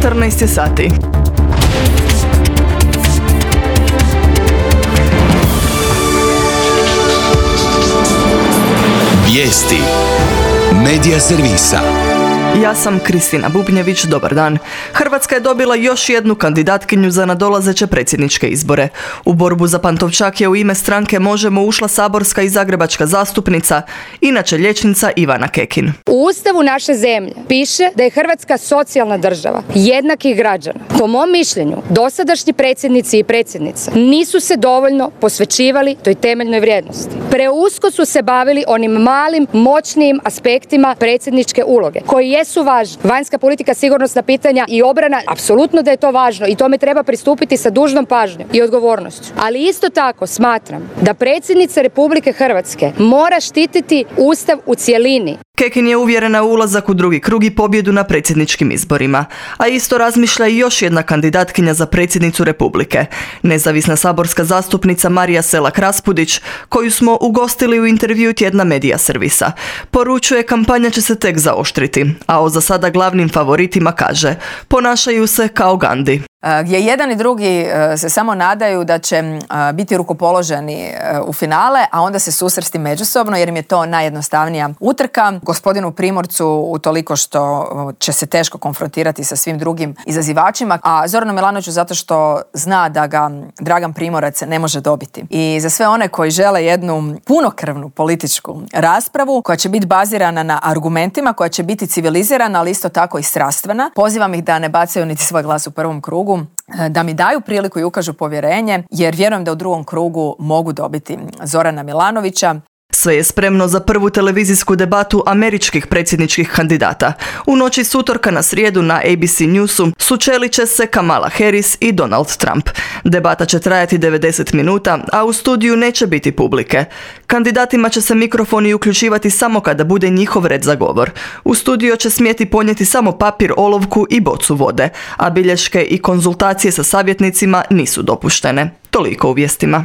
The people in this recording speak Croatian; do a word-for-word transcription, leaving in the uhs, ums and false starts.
četrnaest je sati. Vijesti Medija servisa. Ja sam Kristina Bubnjević, dobar dan. Hrvatska je dobila još jednu kandidatkinju za nadolazeće predsjedničke izbore. U borbu za Pantovčak je u ime stranke Možemo ušla saborska i zagrebačka zastupnica, inače liječnica Ivana Kekin. U Ustavu naše zemlje piše da je Hrvatska socijalna država, jednakih građana. Po mom mišljenju, dosadašnji predsjednici i predsjednice nisu se dovoljno posvećivali toj temeljnoj vrijednosti. Preusko su se bavili onim malim, moćnijim aspektima predsjedničke uloge, koji jesu važni. Vanjska politika, sigurnosna pitanja i obrana, apsolutno da je to važno i tome treba pristupiti sa dužnom pažnjom i odgovornošću. Ali isto tako smatram da predsjednica Republike Hrvatske mora štititi Ustav u cjelini. Kekin je uvjerena u ulazak u drugi krug i pobjedu na predsjedničkim izborima, a isto razmišlja i još jedna kandidatkinja za predsjednicu Republike, nezavisna saborska zastupnica Marija Selak Raspudić, koju smo ugostili u intervju tjedna Medija servisa. Poručuje, kampanja će se tek zaoštriti, a o za sada glavnim favoritima kaže: ponašaju se kao Gandhi. Gdje jedan i drugi se samo nadaju da će biti rukopoloženi u finale, a onda se susresti međusobno jer im je to najjednostavnija utrka. Gospodinu Primorcu utoliko što će se teško konfrontirati sa svim drugim izazivačima, a Zoranu Milanoviću zato što zna da ga Dragan Primorac ne može dobiti. I za sve one koji žele jednu punokrvnu političku raspravu koja će biti bazirana na argumentima, koja će biti civilizirana, ali isto tako i strastvena, pozivam ih da ne bacaju niti svoj glas u prvom krugu, da mi daju priliku i ukažu povjerenje, jer vjerujem da u drugom krugu mogu dobiti Zorana Milanovića. Sve je spremno za prvu televizijsku debatu američkih predsjedničkih kandidata. U noći s utorka na srijedu na A B C Newsu sučelit će se Kamala Harris i Donald Trump. Debata će trajati devedeset minuta, a u studiju neće biti publike. Kandidatima će se mikrofoni uključivati samo kada bude njihov red za govor. U studio će smjeti ponijeti samo papir, olovku i bocu vode, a bilješke i konzultacije sa savjetnicima nisu dopuštene. Toliko u vijestima.